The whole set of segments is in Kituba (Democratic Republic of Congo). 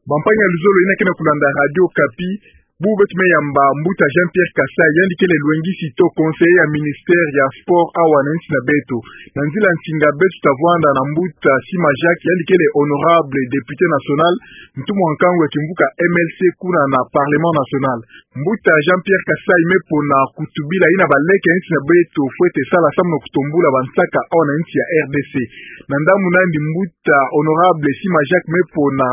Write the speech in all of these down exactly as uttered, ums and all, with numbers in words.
Bampangi ya luzolo yina ke na kulanda Radio Okapi, bubu beto me yamba Mbuta Jean-Pierre Kasai, yandi kele lwengisi to conseiller ya ministère ya sport awa na nsi na beto. Na nzila nsinga beto ta vwanda na Mbuta Sima Jacques, yandi kele honorable député national, ntumwa nkangu ya kimvuka M L C kuna na Parlement national. Mbuta Jean-Pierre Kasai me pona kutubila yina baleke ya nsi na beto fwete sala samu na kutombula bansaka awa na nsi ya R D C. Na ndambu na yandi Mbuta honorable Sima Jacques me pona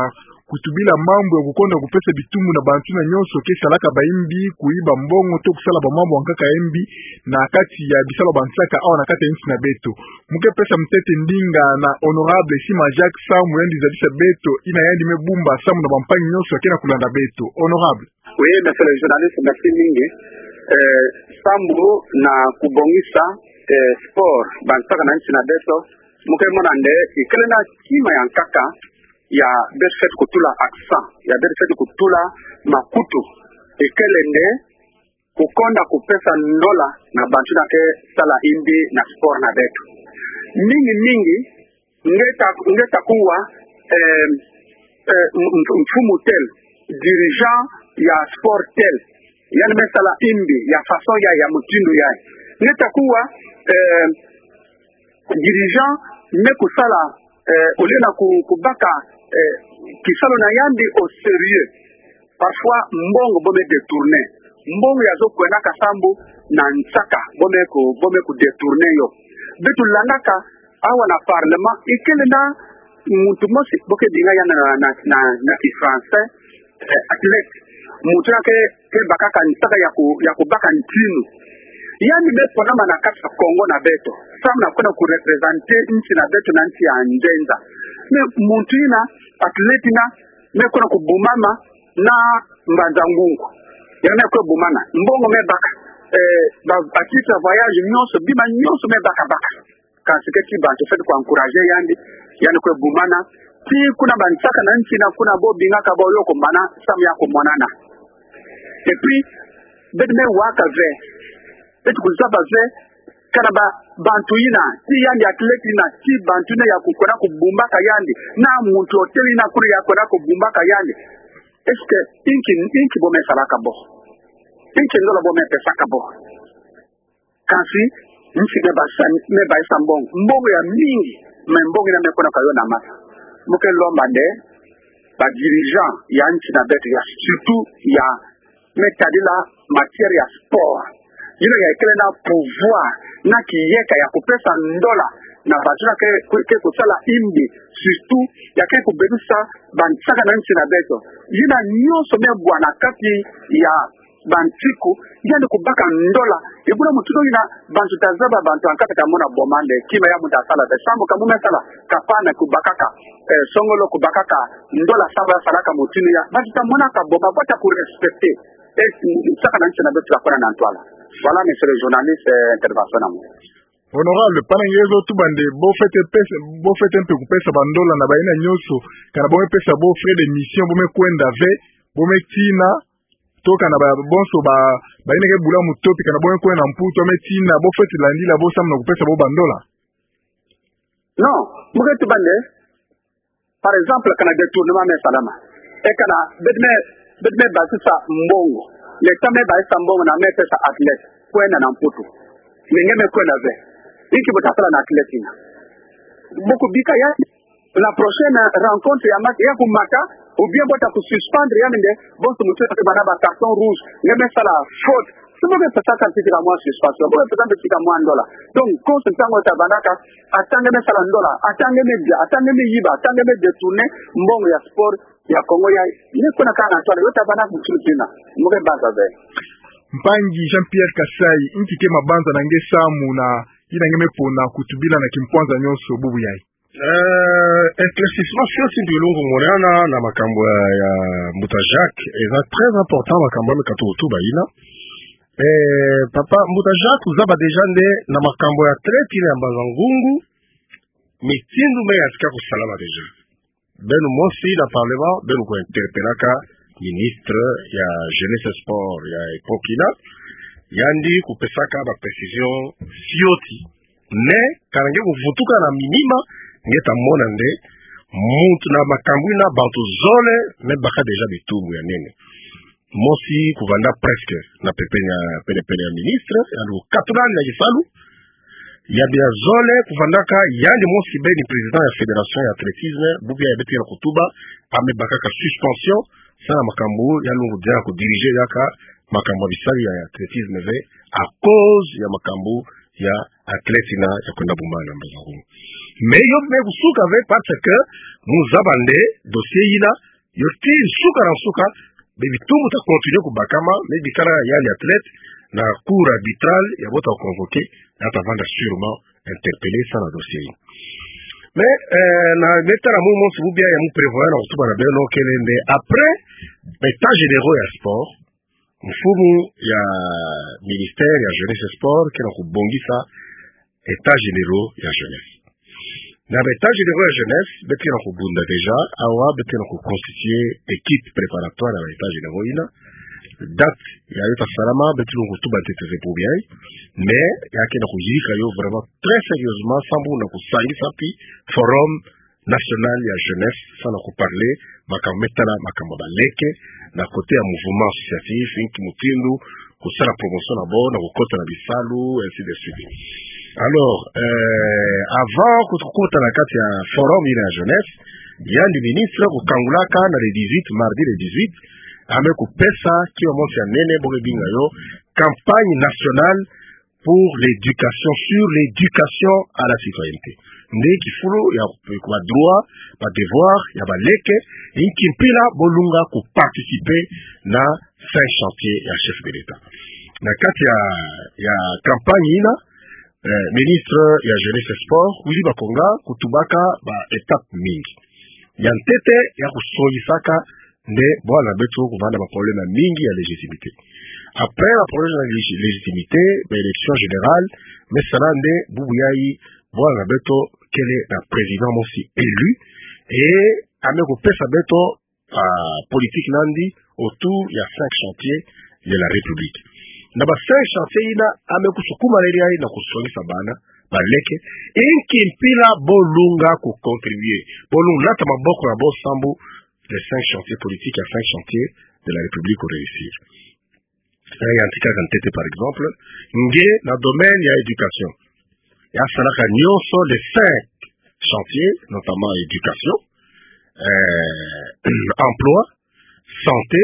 kutubila mambu ya kukonda kupesa bitumbu na bantu yina nyonso ke salaka bayimbi, kuyiba mbongo to kusala bamambu ya nkaka ya yimbi na kati ya bisalu ya bansaka awa na kati ya nsi na beto. Mu ke pesa ntete ndinga na honorable Sima Jacques samu yandi zabisa beto yina yandi me bumba samu na bampangi nyonso ya ke na kulanda beto. Honorable. Oui, monsieur le journaliste, merci mingi. Eh, samu na kubongisa, eh, sport, bansaka na nsi na beto, mu ke mona nde ikele na kima ya nkaka ya beto fwete kutula accent, ya beto fwete kutula makutu, ikele nde kukonda kupesa ndola na bantu yina ke sala yimbi na sport na beto. Mingi mingi, nge ta, nge ta kuwa, eh, eh, m-, m-, mfumu tel, dirigeant ya sport tel, yandi me sala yimbi ya façon ya, ya mutindu ya. Nge ta kuwa, eh, dirigeant me kusala, eh, au lieu na ku-, kubaka, eh, kisalu na yandi au sérieux. Parfois, mbongo bo me détourner. Mbongo ya zo kwendaka sambu na nsaka, bo me ku-, bo me kudétourner yo. Beto landaka awa na parlement, ikele na muntu mosi, bo ke benga yandi na, na, na, na ki français, eh, athlète. Muntu yina ke, ke bakaka nsaka ya ku-, ya kubaka ntinu. Yandi me ponama na kati ya Congo na beto samu na kwenda kureprésenter nsi na beto na nsi ya nzenza. Mais muntu yina, athlète yina, me kwenda kubumama na Mbanza-Ngungu. Yandi me kwe bumana. Mbongo me baka. Eh, ba, ba titre ya voyage nyonso, bima nyonso me baka baka. Kansi ke ti bantu fwete ku encourager yandi, yandi kwe bumana. Ti kuna bansaka na nsi yina kuna bo bingaka bo yo kumana, samu ya kumonana. Et puis, beto me waka ve. Beto kuzaba ve, kana ba, bantu yina, ti yandi athlète yina, ti bantu yina ya kukwenda kubumbaka yandi, na muntu tel yina kuna ya kwenda kubumbaka yandi. Est-ce que inki, inki bo me salaka bo? Inki ndola bo me pesaka bo? Kansi, nsi me ba sa-, me baisa mbongo. Mbongo ya mingi, mais mbongo yina me kwenda ka yo na masa. Mu ke lomba nde, ba dirigeant ya nsi na beto ya, surtout ya, me tadila matière ya sport. Yina ya ikele na pouvoir, na kiyeka ya kupesa ndola na bantu yina ke, ke, ke kusala yimbi, surtout ya ke kubebisa bansaka na nsi na beto. Yina nyonso me bwa na kati ya bantiku, yandi kubaka ndola. Ebuna muntu yina, bantu ta zaba, bantu ya nkaka ta mona boma nde kima ya muntu asala ve. Sambu ka mu me sala, kapana kubakaka, eh, songolo kubakaka ndola samu ya salaka mutindu ya, bantu ta monaka boma, bo ta kurespecter. Eh, nsaka na nsi na beto ta kwenda na ntwala. Voilà, monsieur le journaliste, eh, intervention na mu. Honorable, pana nge zo tuba nde, bo fwete pesa, bo fwete mpe kupesa bandola na bayina nyonso, kana bo me pesa bo frais de mission, bo me kwenda ve, bo me tina, to kana ba, bonso ba, bayina ke bula mutopi, kana bo me kwenda na Mputu, bo me tina, bo fwete landila bo samu na kupesa bo bandola? Non, mu ke tuba nde, par exemple, kana détournement me salama. E kana, beto me, beto me basisa mbongo. L'État me baisa mbongo na me pesa athlète. Kwenda na Mputu. Mais nge me kwenda ve. Inki bo ta sala na athlète yina? Bo kubika ya, la prochaine rencontre ya mat-, ya kumata, ou bien bo ta kususpendre yandi nde, bonso muntu yina ke bâ na ba carton rouge, nge me sala faute. Si bo ke pesa ka ti ka mwa suspension, bo ke pesa ka ti ka mwa ndola. Donc, konso ntangu ta bâ na ka, ata nge me sala ndola, ata nge me dia, ata nge me yiba, ata nge me détourner mbongo ya sport ya Congo ya, me kwenda ka na ntwala, yo ta bâ na mutindu yina. Mu ke baza ve. Mpangi Jean-Pierre Kasai, inki ke mabanza na nge samu na yina nge me pona kutubila na kimpwanza nyonso bubu yayi? Euh, éclaircissement fioti mpe lungu monana na makambu ya, ya Mbuta Jacques, eza très important makambu ya me katuka kutuba yina. Eh, papa, Mbuta Jacques, ozaba déjà nde na makambu ya athlète yina ya Mbanza-Ngungu, mutindu me yantika kusalama déjà. Beno mosi na parlement, beno ku interpellaka ministre ya jeunesse et sport ya époque yina, yandi kupesaka ba précision fioti. Mais, kana nge kuvutuka na minima, nge ta mona nde, muntu na makambu yina bantu zole me baka déjà bitumbu ya nene. Mosi kuvanda presque na pepenia, pene pene ya ministre, yandi kukatula yandi na kisalu. Ya bia zole kuvandaka, yandi mosi beni président ya fédération ya athlétisme, bubu yayi beto ke na kutuba, ame bakaka suspension, samu na makambu ya lungu dia kudiriger yaka makambu ya bisalu ya athlétisme ve, à cause ya makambu ya athlète yina ya kwenda bumana na mbazi ya Kongo. Mais yo me kusuka ve parce que mu zaba nde dossier yina, yo ti nsuka na nsuka, be bitumbu ta continuer kubakama, me bikala yandi athlète na cour arbitral ya bo ta convoquer, ya ta vanda sûrement interpellé samu na dossier yina. Mais, euh, na me tala mu mosi bubu yayi ya mu prévoir na kutuba na beno kele nde après, ba états généraux ya sport, mfumu ya ministère ya jeunesse et sport ke na kubongisa états généraux ya jeunesse. Na ba états généraux ya jeunesse, beto ke na kubunda déjà, awa beto ke na kuconstituer équipe préparatoire ya ba états généraux yina. Date yayo ta salama, beto ke na kutuba ntete ve bubu yayi, mais ya ke na kuyirika yo vraiment très sérieusement, samu na kusangisa pi forum national ya jeunesse, samu na kuparler makambu me tala makambu ya baleke, na côté ya mouvement associatif, inki mutindu kusala promotion na bo, na kukota na bisalu, ainsi de suite. Alors, euh, avant ku-, kukota na kati ya forum yina ya jeunesse, yandi ministre kukangulaka na le dix-huit, mardi le dix-huit, ame kupesa kiwa mosi ya nene, bo ke binga yo campagne nationale pour l'éducation, sur l'éducation à la citoyenneté. Nde kifulu ya ba droit, ba devoir ya baleke, inki mpila bo lunga kuparticiper na cinq chantiers ya chef de l'État. Na kati ya, ya campagne yina, euh, ministre ya jeunesse et sport, Willy Bakonga, kutubaka ba étapes mingi. Ya ntete ya kusongisaka nde bwala na beto kuvanda ba problèmes mingi ya légitimité. Après ba problèmes ya légiti-, légitimité, ba élections générales, me sala nde bubu yayi bwala na beto kele na président mosi élu, et ame kupesa beto, ah, politique na yandi autour ya cinq chantiers de la République. Na ba cinq chantiers yina ame kusukuma leli yayi na kusongisa bana baleke, inki mpila bo lunga kucontribuer, bo lunga nata maboko na bo samu les cinq chantiers politiques ya cinq chantiers de la République ku réussir. Sa yantikaka ntete, par exemple, nge na domaine ya éducation, ya salaka nyonso les cinq chantiers, notamment éducation, euh, emploi, santé,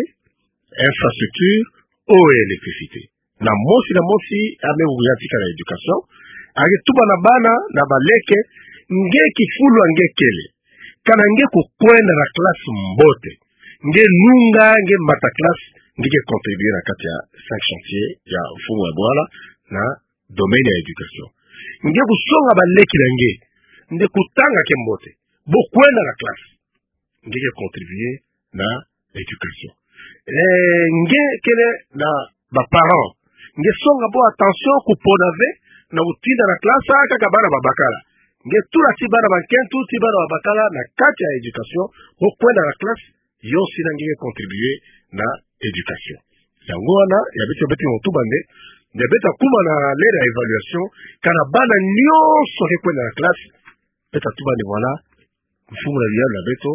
infrastructure, eau et électricité. Na mosi na mosi ame kuyantika na éducation, ake tuba na bana na baleke, nge kifulu ya nge kele, kana nge kukwenda na classe mbote, nge nunga, nge mata classe, nge ke contribuer na kati ya cinq chantiers ya mfumu ya bwala na domaine ya éducation. Nge kusonga baleke na nge nde kutanga ke mbote, bo kwenda na classe, nge ke contribuer na éducation. Eh, nge kele na ba parents, nge songa bo attention kupona ve na kutinda na classe kaka bana babakala. Nge tula ti bana bankento, ti bana babakala na kati ya éducation, bo kwenda na classe, yo sina nge ke contribuer na éducation. Yango wana ya beto, beto ke na kutuba nde, nde beto kuma na l'heure ya évaluation, kana bana nyonso ke kwenda na classe, beto tuba nde voilà, mfumu na bisalu na beto,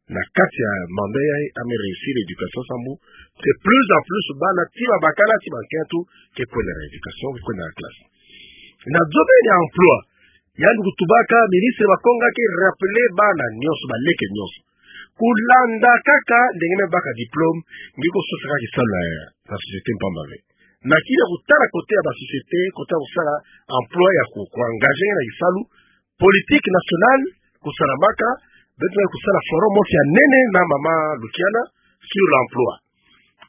na kati ya mandat yayi, ame réussir éducation samu de plus en plus bana ti babakala, ti bankento, ke kwenda na éducation, ke kwenda na classe. Na domaine ya emploi, yandi kutubaka, ministre Bakonga ke rappeler bana nyonso, baleke nyonso, kulanda kaka ndenge me baka diplôme, nge ke sosa kaka kisalu na, na société mpamba ve. Na kina kutala côté ya ba société, côté ya kusala emploi ya ku, ku engager na kisalu, politique nationale kusalamaka, beto kusala forum mosi ya nene na mama Lukiana sur l'emploi.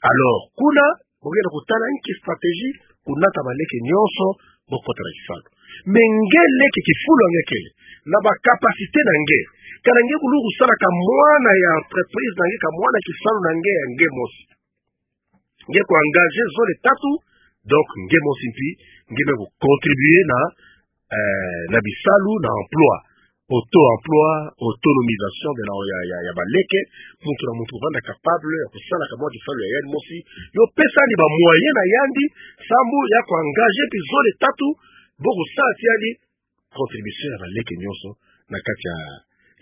Alors, kuna, bo ke na kutala inki stratégie, kunata baleke nyonso, bo kota na kisalu. Mais nge leke, kifulu ya nge kele, na ba capacité na nge, kana nge kulunga kusalaka mwana ya entreprise na nge, ka mwana kisalu na nge ya nge mosi, nge ku engager zole tatu, donc nge mosi mpi, nge me ku contribuer na, eh, na bisalu, na emploi, auto-emploi, autonomisation de la, ya, ya, ya baleke, muntu na muntu kuvanda capable ya kusalaka mwa kisalu ya yandi mosi, yo pesa yandi ba moyens na yandi, samu ya ku engager mpi zole tatu, bo kusala ti yandi contribution ya baleke nyonso na kati ya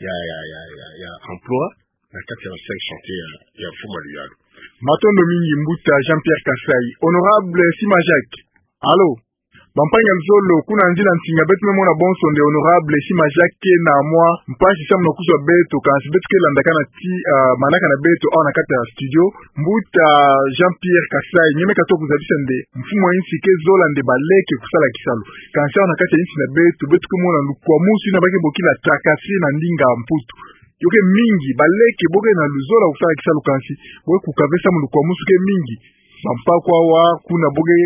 ya, ya, ya, ya, ya emploi na kati ya ba cinq chantiers ya, ya mfumu ya luyalu. Matondo mingi, mbuta Jean-Pierre Kasai. Honorable Sima Jacques. Allô? Bampangi ya luzolo, kuna nzila nsinga beto me mona bonso nde Honorable Sima Jacques na mwa mpasi samu na kuzwa beto, kansi beto ke landakana ti, ah, manaka na beto awa na kati ya studio. Mbuta Jean-Pierre Kasai, nge me katuka kuzabisa nde mfumu ya insi ke zola nde baleke kusala kisalu. Kansi awa na kati ya insi na beto, beto ke mona lukwamusu ina ba ke bokila tracasserie na ndinga ya Mputu. Yo ke mingi, baleke bo ke na luzolo ya kusala kisalu kansi bo ke kuka ve samu lukwamusu ke mingi. Bampaku awa, kuna bo ke,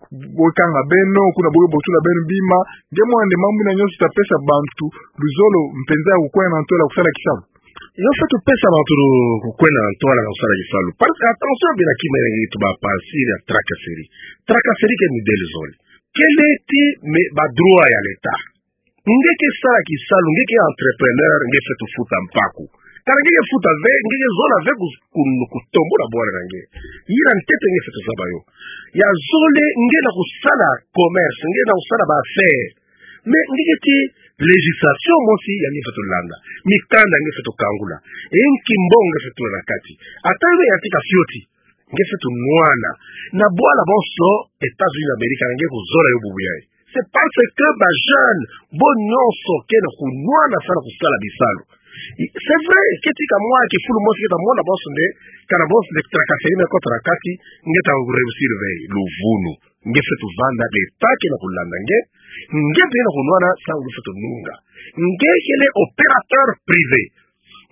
bo ke kanga beno, kuna bo ke botula beno bima. Nge mona nde mambu ina nyonso ta pesa bantu luzolo mpenza ya kukwenda na ntwala ya kusala kisalu? Yo feto pesa bantu lu-, kukwenda na ntwala ya kusala kisalu. Parce que attention, bina kima nge tuba parti ya tracasserie. Tracasserie ke mundele zole. Kele ti me ba droit ya l'État. Nge ke sala kisalu, nge ke entrepreneur, nge feto futa mpaku. Kana nge ke futa ve, nge ke zola ve ku-, ku-, kutombula bwala na nge. Yina ntete nge feto zaba yo. Ya zole, nge na kusala commerce, nge na kusala ba affaires. Mais nge ke ti législation mosi ya nge feto landa. Mikanda nge feto kangula. E nki mbongo nge feto na kati. Ata yo ya tika fioti. Nge feto nwana. Na bwala bonso États-Unis d'Amérique, nge kuzola yo bubu yayi. C'est parce que ba jeunes bo nyonso ke na kunwana samu na kusala bisalu. I-, c'est vrai, ke tika mwa kifulu mosi ke ta mona bonso nde, kana bonso nde tracasserie me kota na kati, nge ta réussir ve, luvunu. Nge feto vanda, l'État ke na kulanda nge, nge mpe na kunwana samu nge feto nunga. Nge kele opérateur privé.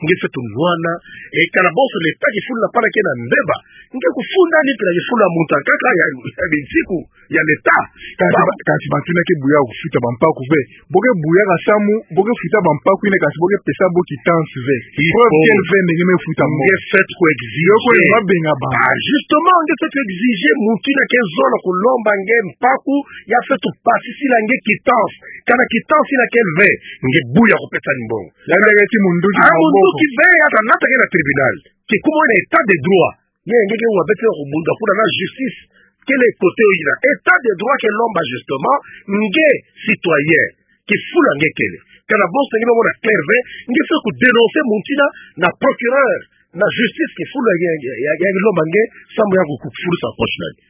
Nge feto nwana, e kana bonso l'État kifulu na pana ke na mbeba. Nge kufunda ni pila kifulu ya muntu ya nkaka ya, ya binsiku, ya l'État. Kansi ba-, kansi bantu ina ke buya kufuta bampaku ve. Bo ke buya ka samu, bo ke futa bampaku ina kansi bo ke pesa bo quittance ve. Il faut. Preuve quelle ve nde nge me futa mbongo. Nge feto ku exiger. Yo ko ni mabenga ba. Ah, justement, nge feto exiger muntu ina ke zola kulomba nge mpaku, ya feto pasisila nge quittance. Kana quittance ina kele ve, nge buya kupesa ni mbongo. Yandi ke ti munduki. Ah, maboko. Munduki ve, ya ta nata nge na tribunal. Kikuma na état de droit. Ye nge ke wa beto ya kubunda kuna na justice. Kele côté yo yina. État de droit ke lomba justement, nge citoyen. Kifulu ya nge kele. Kana bonso nge me mona clair ve, nge feto kudénoncer muntu ina na procureur, na justice kifulu ya, ya, ya, ya lomba nge, samu ya ku-, ku-, kufulusa poche na nge.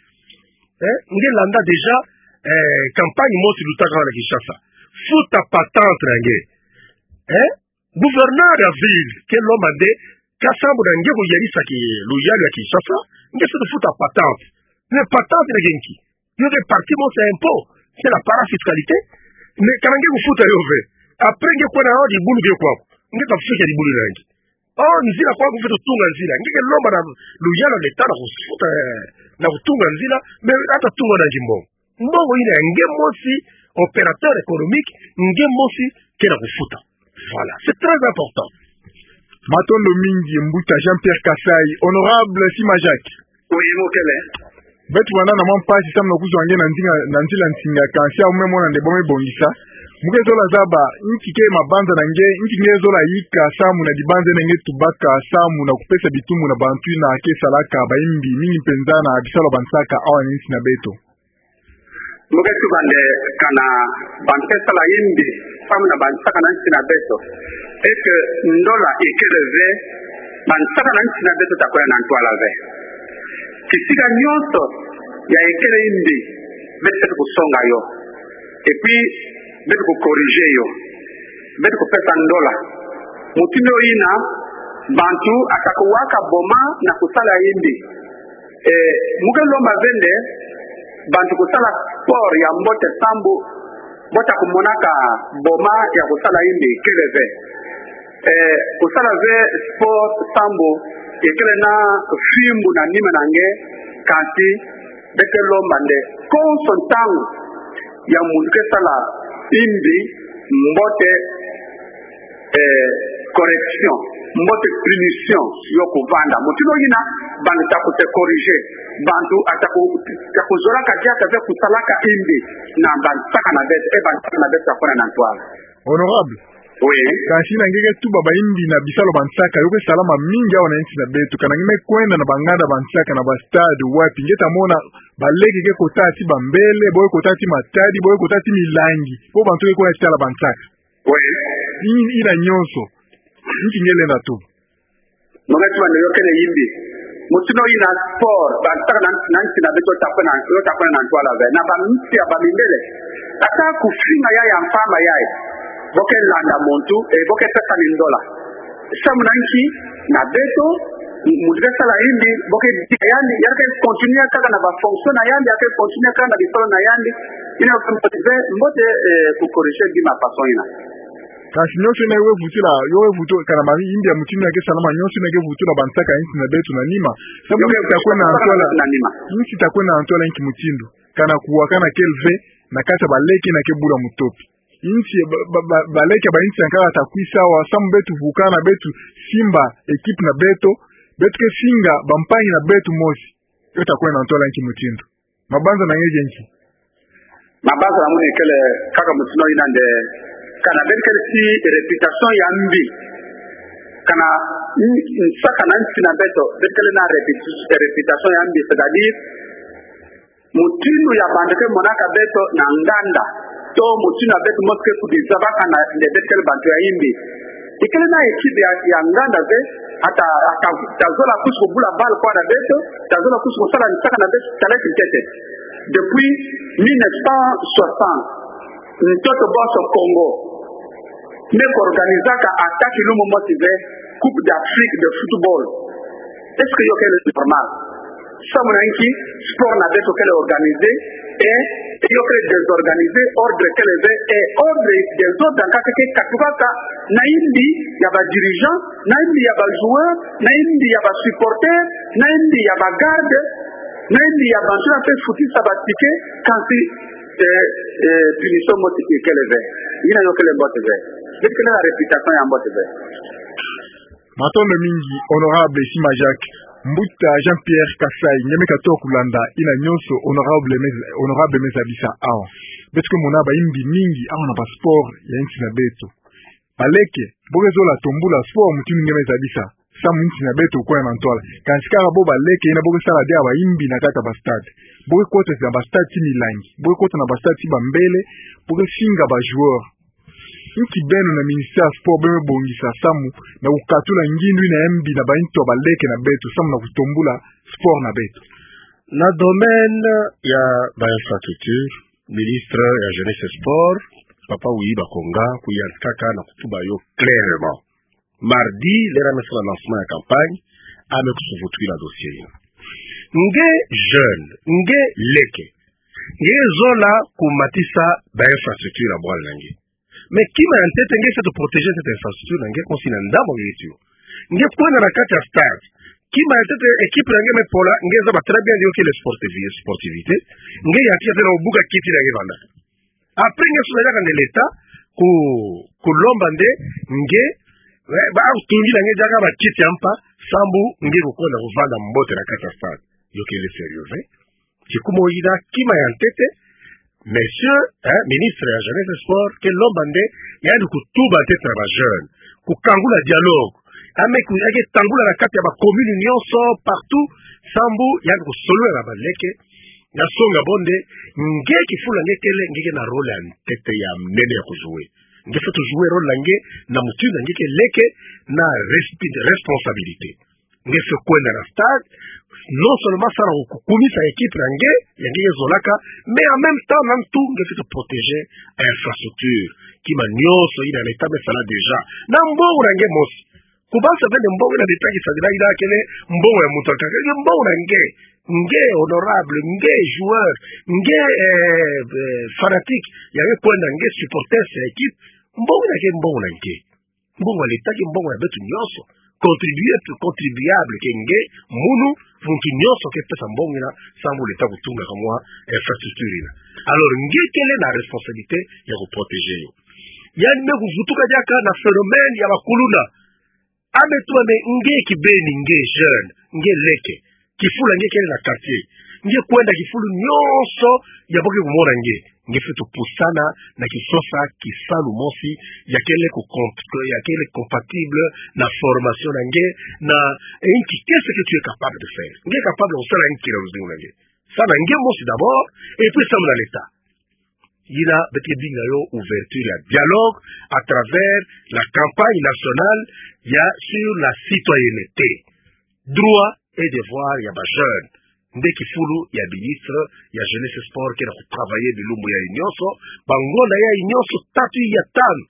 Eh, nge landa déjà, eh, campagne mosi lutaka na Kinshasa. Futa patente na nge. Eh? Gouverneur ya ville ke lomba nde, ka samu na nge kuyalisa ki-, luyalu ya Kinshasa, nge feto futa patente. Mais patente ina nge nki? Yo ke partie mosi ya impôt, c'est la parafiscalité. Mais kana nge kufuta yo ve. Après nge kwenda na yo dibulu nge kwaku. Nge ta fika dibulu na nge. Oh, nzila kwaku feto tunga nzila. Nge ke lomba na luyalu ya l'État na kufuta, eh, na kutunga nzila, mais ata tunga na nge mbongo. Mbongo ina ya nge mosi, opérateur économique, nge mosi ke na kufuta. Voilà, c'est très important. Matondo mingi, mbuta Jean-Pierre Kasai. Honorable Sima Jacques. Oui, mokele. Beto vanda na mwa mpasi samu na kuzwa nge na nzinga, na nzila nsinga, kansi awu me mona nde bo me bongisa. Mu ke zola zaba, nki ke mabanza na nge, nki nge zola yika samu na dibanza ina nge tubaka samu na kupesa bitumbu na bantu ina ke salaka bayimbi, mingi mpenza na bisalu ya bansaka awa na insi na beto. Mu ke tuba nde kana bantu ke sala yimbi samu na bansaka na insi na beto, et que ndola ikele ve, bansaka na insi na beto ta kwenda na ntwala ve. Kisika nyonso ya ikele yimbi, beto feto kusonga yo. Et puis, beto ku corriger yo. Beto kupesa ndola. Mutindu yina, bantu ata kuwaka boma na kusala yimbi. Eh, mu ke lomba ve nde, bantu kusala sport ya mbote sambu, bo ta kumonaka boma ya kusala yimbi, kele ve. Eh, kusala ve sport sambu, ikele na fimbu na nima na nge, kansi, beto ke lomba nde, konso ntangu ya muntu ke sala yimbi, mbote, eh, correction, mbote punition yo kuvanda. Mutindu yina, bantu ta ku se corriger, bantu ata ku, ta kuzolaka diaka ve kusalaka yimbi na bansaka na beto, et bansaka na beto ta kwenda na ntwala. Honorable. Oui. Kansi na nge ke tuba bayimbi na bisalu ya bansaka, yo ke salama mingi awa na insi na beto. Kana nge me kwenda na banganda bansaka na ba stade, wapi, nge ta mona baleke ke kota ti bambele, bo ke kota ti matadi, bo ke kota ti milangi, po bantu ke kwenda ti tala bansaka. Oui. Ina, ina nyonso. Nki nge lenda tuba? Mo nge ti mane yo kele yimbi. Mutino ina sport, ba ntaka na, na nti na beto ta kwenda, yo ta kwenda na ntwala ve. Na ba nti ya ba mindele. Ata kufinga ya ya mfama ya e. Bo ke landa muntu, e, bo ke pesa ni ndola. Samu na nki, na beto, muntu ke sala yimbi, bo ke di yandi, ya ke continuer kaka na ba fonction na yandi, ya ke continuer kaka na bisalu na yandi. Ina yo ke mbote ve, mbote, e, ku corriger bima façon ina. Kasi nyonso ina yo wevutula, yo wevutu, kana ma yimbi ya mutindu ina ke salama, nyonso ina ke vutula ba ntaka ya nti na beto na nima. Samu nti ta kwenda na ntwala, nti ta kwenda na ntwala nki mutindu. Kana kuwakana kele ve, na kati ya baleke ina ke bula mutopi. Nti, ba, ba, ba, baleke ba nti ya nkaka ta kwisa wa, samu beto vukana, beto simba, équipe na beto, beto ke finga, ba mpangi na beto mosi. Yo ta kwenda na ntwala nki mutindu. Mabanza na nge nki? Mabanza na munu kele kaka mutino ina nde, kana beto kele ti réputation ya mbi. Kana n-, nsaka na nti na beto, beto kele na réputu-, réputation ya mbi, c'est-à-dire, mutindu ya bantu ke monaka beto na nganda. To mutindu ya beto mosi ke kudizabaka na nde beto kele bantu ya yimbi. Ikele na équipe ya, ya nganda ve, ata, ata, ta zola kusu kubula balle kwa na beto, ta zola kusu kusala nsaka na beto, ta leki ntete. Depuis mille neuf cent soixante, ntoto bonso Congo, me ko organisaka ata kilumu mosi ve Coupe d'Afrique de football. Est-ce que yo kele normal? Samu na nki, sport na beto kele organisé, e, yo kele désorganisé, ordre kele ve, e, ordre, désordre ankaka ke katukaka, na yimbi ya ba dirigeants, na yimbi ya ba joueurs, na yimbi ya ba supporters, na yimbi ya ba gardes, na yimbi ya bantu na pe futisa ba tickets, kansi, e, e, punition mosi kele ve. Ina yo kele mbote ve. Beto kele na réputation ya mbote ve. Matondo mingi, honorable Sima Jacques. Mbuta Jean-Pierre Kasai, nge me katoa kulanda ina nyonso honorable me, honorable me zabisa awa. Beto ke mona bayimbi mingi awa na ba sport ya nti na beto. Baleke, bo ke zola tombula sport mutindu nge me zabisa. Samu nti na beto kwenda na ntwala. Kansi kaka bo baleke ina bo ke sala diaka bayimbi na kati ya ba stade. Bo ke kota na ba stade ti milangi. Bo ke kota na ba stade ti bambele. Bo ke finga ba joueurs. Nki beno na ministère ya sport beno me bongisa samu na kukatula ngindu ina ya mbi na ba nto ya baleke na beto, samu na kutombula sport na beto? Na domaine ya ba infrastructure, ministre ya jeunesse et sport, papa Willy Bakonga, kuyantikaka na kutuba yo clairement. Mardi, l'heure ame sala lancement ya campagne, ame kusu vutwila dossier ina. Nge jeune, nge leke, nge zola kumatisa ba infrastructure ya bwala na nge. Mais kima ya ntete nge fwete protéger cette infrastructure na nge, kosi na ndambu nge tio. Nge kwenda na kati ya stade. Kima ya ntete équipe na nge me pola, nge zaba très bien yo kele sportivi-, sportivité. Nge yantika tena kubuka kiti na nge vanda. Après nge susa diaka nde l'État ku, kulomba nde nge, eh, ba kutungila nge diaka ba kiti ya mpa, sambu nge kukwenda kuvanda mbote na kati ya stade. Yo kele sérieux ve. Kikumu ina kima ya ntete, monsieur, eh, ministre ya jeunesse et sport, ke lomba nde, yandi kutuba ntete na ba jeunes, kukangula dialogue, ame ku, yake tangula na kati ya ba commune nyonso, partout, sambu, yandi kusolola na baleke, na songa bo nde, nge kifulu nge kele, nge ke na rôle ya ntete ya mnene ya kujouer. Nge fwete jouer rôle na nge, na mutindu nge ke leke, na respi-, responsabilité. Nge fwete kwenda na stade, non seulement sala ku-, kukumisa équipe na nge, ya nge zolaka, mais en même temps, na ntu nge fwete protéger infrastructure. Kima nyonso ina l'État me sala déjà. Na mbongo na nge mosi. Kubanza ve nde mbongo ina l'État kisadila ina kele mbongo ya muntu ankaka. Nge mbongo na nge. Nge honorable, nge joueur, nge, eh, eh, fanatique, ya nge kwenda nge supporters ya équipe. Mbongo ina ke mbongo na nge. Mbongo ya l'État ke mbongo ya beto nyonso. Contribuable, contribuable ke nge, munu, muntu nyonso ke pesa mbongo ina, sambu l'État kutunga kamwa infrastructure ina. Alors, nge kele na responsabilité ya kuprotéger yo. Yandi me kuvutuka diaka na phénomène ya ba kuluna. Ame tuba nde nge kibeni, nge jeune, nge leke. Kifulu nge kele na quartier. Nge kwenda kifulu nyonso ya bo ke kumona nge. Nge fwete pusana na kisosa kisalu mosi ya kele ku comp-, ya kele compatible na formation na nge, na, eh, inki, qu'est-ce que tu es capable de faire? Nge capable kusala inki na luzingu na nge? Sa na nge mosi d'abord, et puis samu na l'État. yina beto ke binga yo ouverture ya dialogue à travers la campagne nationale ya sur la citoyenneté, droit et devoir ya ba jeunes. Nde kifulu ya ministre ya jeunesse, sport ke na kutravailler bilumbu yayi nyonso, ba ngonda yayi nyonso tatu ya tanu,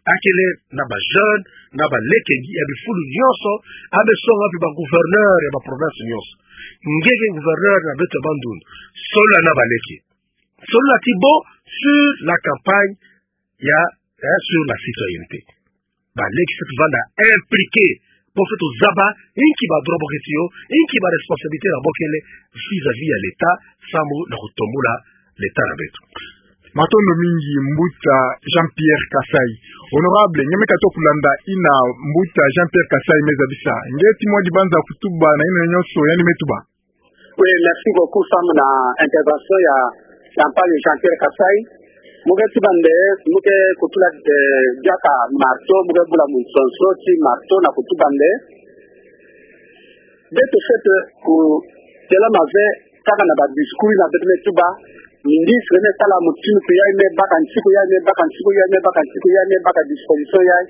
akele na ba jeunes, na baleke ya bifulu nyonso, a me songa mpe ba gouverneurs ya ba provinces nyonso. Nge ke gouverneur na beto ya Bandundu, solola na baleke, solola ti bo sur la campagne ya, eh, sur la citoyenneté. Baleke fwete vanda impliqués, bo fwete zaba inki ba droits bo keti yo, inki ba responsabilités na bo kele vis-à-vis ya l'État, samu na kutombula l'État na beto. Matondo mingi, Mbuta Jean-Pierre Kasai. Honorable, nge me katuka kulanda yina Mbuta Jean-Pierre Kasai me zabisa. Nge ti mwa dibanza kutuba na yina nyonso yandi me tuba. Oui, merci beaucoup samu na intervention ya, ya mpasi Jean-Pierre Kasai. Mu ke tuba nde, mu ke kutula, eh, diaka marteau, mu ke bula munsonso ti marteau na kutuba nde. Beto fwete kutelama ve kaka na ba discours na beto me tuba, ministre me sala mutinu pe yayi, me baka nsiku yayi, me baka nsiku yayi, me baka nsiku yayi, me baka disposition yayi.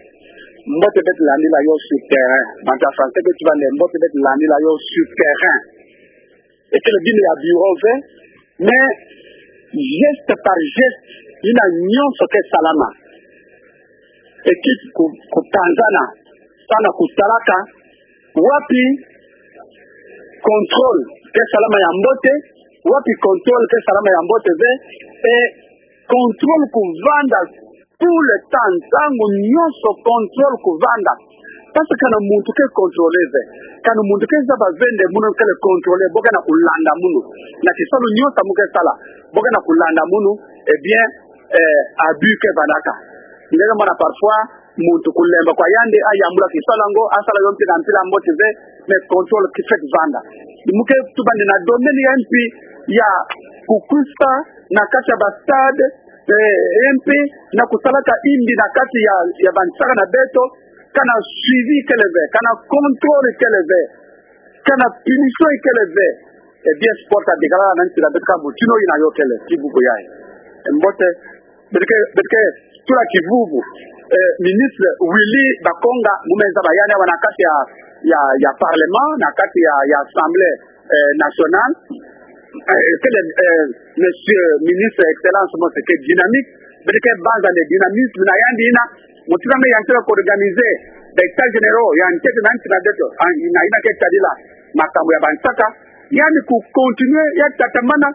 Mbote beto landila yo sur terrain. Bantu ya français beto tuba nde mbote beto landila yo sur terrain. Ekele bima ya bureau ve, mais geste par geste, yina nyonso ke salama. Équipe ku, kupanzana, samu na kutalaka wapi contrôle ke salama ya mbote, wapi contrôle ke salama ya mbote ve, et contrôle kuvanda tout le temps, ntangu nyonso contrôle kuvanda. Parce que kana muntu ke contrôler ve, kana muntu ke zaba ve nde munu kele contrôler, bo ke na kulanda munu. Na kisalu nyonso mu ke sala, bo ke na kulanda munu, eh bien, eh, abus ke vandaka. Nge ke mona parfois, muntu kulemba kwa yandi, ayambula kisalu yango, asala yo mpe na mpila mbote ve, mais contrôle ki fwete vanda. Mu ke tuba nde na domaine ya mpi ya kukwisa na kati ya ba stade, eh, mpi na kusalaka imbi na kati ya, ya bansaka na beto, kana suivi kele ve, kana contrôle kele ve, kana punition kele ve. Eh bien, sport a dikala na nti na beto ka mutino yina yo kele, ti vuvu yayi. Eh, mbote, beto ke, beto ke tula kivuvu. Eh, ministre Willy Bakonga, mu me zaba yandi awa na kati ya, ya, ya parlement, na kati ya, ya assemblée, eh, nationale. Eh, kele, eh, monsieur ministre, excellence, mose ke dynamique. Beto ke banza nde dynamisme na yandi yina, mutindu me yandi tela kuorganiser ba états généraux ya ntete na nti na beto, ah, na yina ke tadila makambu ya bansaka, yandi kucontinuer ya tatamana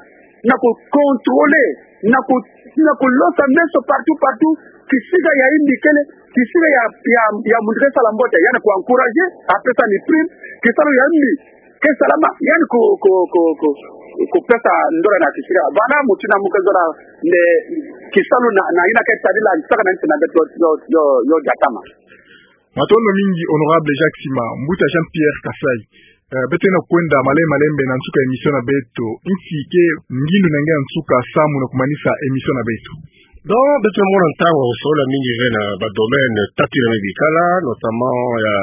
na kucontrôler, na ku, na kulosa meso partout, partout, kisika ya imbi kele, kisika ya, ya, ya muntu ke sala mbote, yandi kuencourager, apesa ni prime, kisalu ya imbi ke salama, yandi ku, ku, ku, ku, kupesa ndola na kisika. Vana mutindu mu ke zola nde kisalu na, na yina ke tadila nsaka na nti na beto yo, yo, yo diatama. Matondo mingi, Honorable Jacques Sima. Mbuta Jean-Pierre Kasai. Eh, beto ke na kwenda malembe malembe na nsuka ya émission na beto. Nki ke ngindu na nge ya nsuka samu na kumanisa émission na beto? Donc, beto mona ntangu ya kusolola mingi ve na ba domaines tatu yina me bikala, notamment ya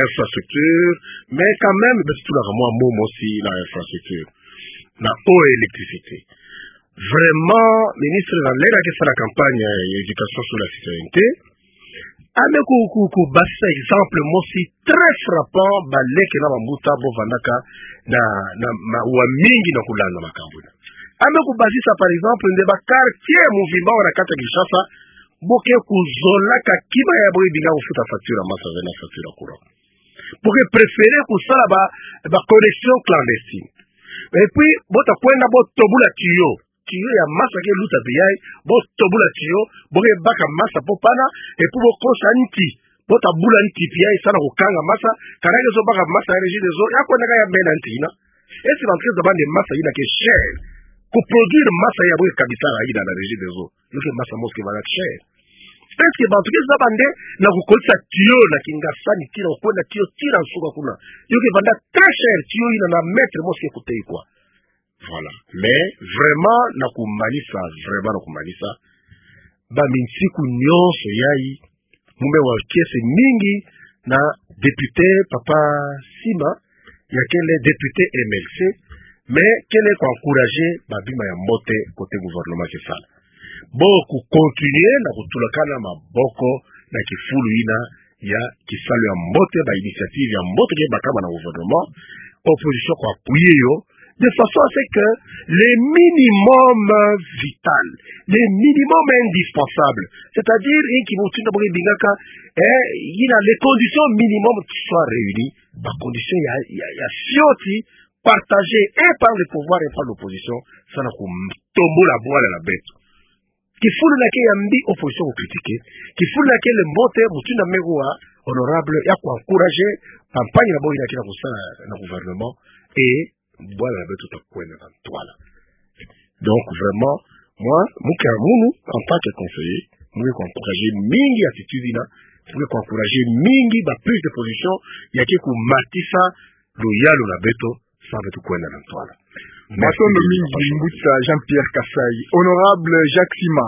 infrastructure, mais quand même, beto tulaka mwa mot mosi na infrastructure. Na eau et électricité. Vraiment, ministre na l'heure ke sala campagne ya éducation sur la citoyenneté, a me ku, ku, kubasisa exemple mosi très frappant, baleke na bambuta bo vandaka na, na mawa mingi na kulanda makambu yina. A me kubasisa, par exemple, nde ba quartiers muvimba awa na kati ya Kinshasa, bo ke kuzolaka kima ya bo, ebinga kufuta facture ya masa ve na facture ya courant. Bo ke préférer kusala ba, ba connexions clandestines. Et puis, bo ta kwenda bo tobula tuyau. Tuyau ya masa ke luta biai, bo tobula tuyau, bo ke baka masa po pana, et puis bo kosa nti, bo ta bula nti biai samu na kukanga masa, kana ke zo baka masa ya Regideso, ya kwenda ka ya bena nti yina. Est-ce que bantu ke zaba nde masa yina ke cher? Kuproduire masa ya bo ke kabisaka yina na Regideso, yo ke masa mosi ke vanda cher. Est-ce que bantu ke zaba nde na kukolisa tuyau na kingasani tii na kukwenda tuyau tii na nsuka kuna, yo ke vanda très cher, tuyau yina na mètre mosi ke kutekwa. Voilà. Mais vraiment na kumanisa, vraiment na kumanisa, ba minsiku nyonso yayi, mu me wa kiese mingi na député Papa Sima, ya kele député M L C, mais kele kuencourager ba bima ya mbote côté gouvernement ke sala. Bo kucontinuer na kutulakana maboko na kifulu yina ya kisalu ya mbote, ba initiative ya mbote ke bakama na gouvernement, opposition kuappuyer yo, de façon à ce que le minimum vital, le minimum indispensable, c'est-à-dire, inki mutindu na bo ke bingaka, eh, yina les conditions minimum soient réunies, ba conditions ya, ya, ya fioti, partagées et par le pouvoir et par l'opposition, samu na kutombola bwala na beto. Kifulu yina ke ya mbi, opposition kucritiquer. Kifulu yina ke le mbote, mutindu na me kuwa, honorable, ya kuencourager campagne na bo yina ke na kusala na gouvernement, et bwala na beto ta kwenda na ntwala. Donc vraiment, moi, mu ke munu, en tant que conseiller, mu ke kuencourager mingi attitude yina, mu ke kuencourager mingi ba prise de position ya ke kumatisa luyalu na beto, samu beto kwenda na ntwala. Matondo mingi, mbuta Jean-Pierre Kasai. Honorable Jacques Sima,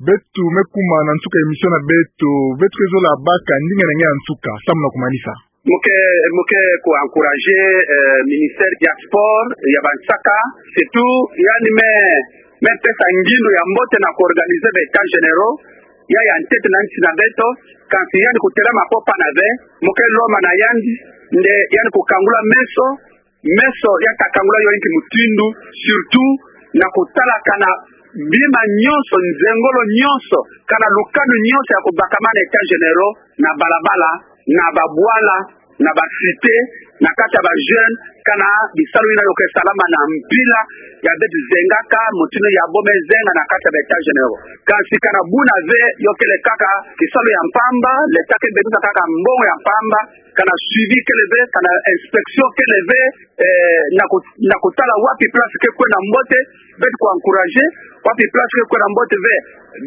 beto me kuma na nsuka ya émission na beto, beto ke zola baka ndinga na nge ya nsuka, samu na kumanisa. Mu ke, mu ke kuencourager, eh, ministère ya sport, ya bansaka, surtout, yandi me, me pesa ngindu ya mbote na kuorganiser ba états généraux, ya ya ntete na nsi na beto, kansi yandi kutelama ko pana ve, mu ke lomba na yandi, nde yandi kukangula meso, meso ya ta kangula yo inki mutindu, surtout na kutala kana bima nyonso, nzengolo nyonso, kana lukanu nyonso ya kubakama na états généraux, na balabala, na babwala, na ba cité, na kati ya ba jeunes, kana bisalu yina yo ke salama na mpila ya beto zengaka, mutindu ya bo me zenga na kati ya ba états généraux. Kansi kana buna ve, yo kele kaka kisalu ya mpamba, l'État ke bebisa kaka mbongo ya mpamba, kana suivi kele ve, kana inspection kele ve, eh, na ku-, na kutala wapi place ke kwenda mbote, beto kuencourager, wapi place ke kwenda mbote ve,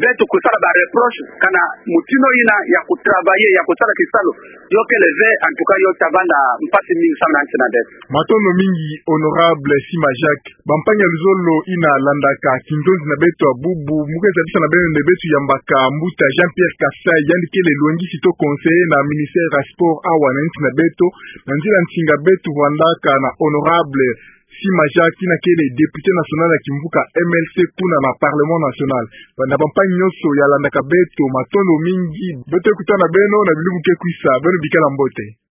beto kusala ba reproche, kana mutindu yina ya kutravailler, ya kusala kisalu, yo kele ve, en tout cas, yo ta vanda mpasi mingi samu na nsi na beto. Matondo mingi, honorable Sima Jacques. Bampangi ya luzolo yina landaka kinzonzi na beto ya bubu, mu ke zabisa na beno nde beto yambaka mbuta Jean-Pierre Kasai, yandi kele lwengisi to conseiller na ministère ya sport awa na nsi na beto, na nzila nsinga beto vwandaka na honorable Sima Jacques, yina kele député national ya kimvuka M L C kuna na Parlement national. Ba, na bampangi nyonso ya landaka beto, matondo mingi, beto kutana na beno na bilumbu ke kwisa, beno bikala mbote.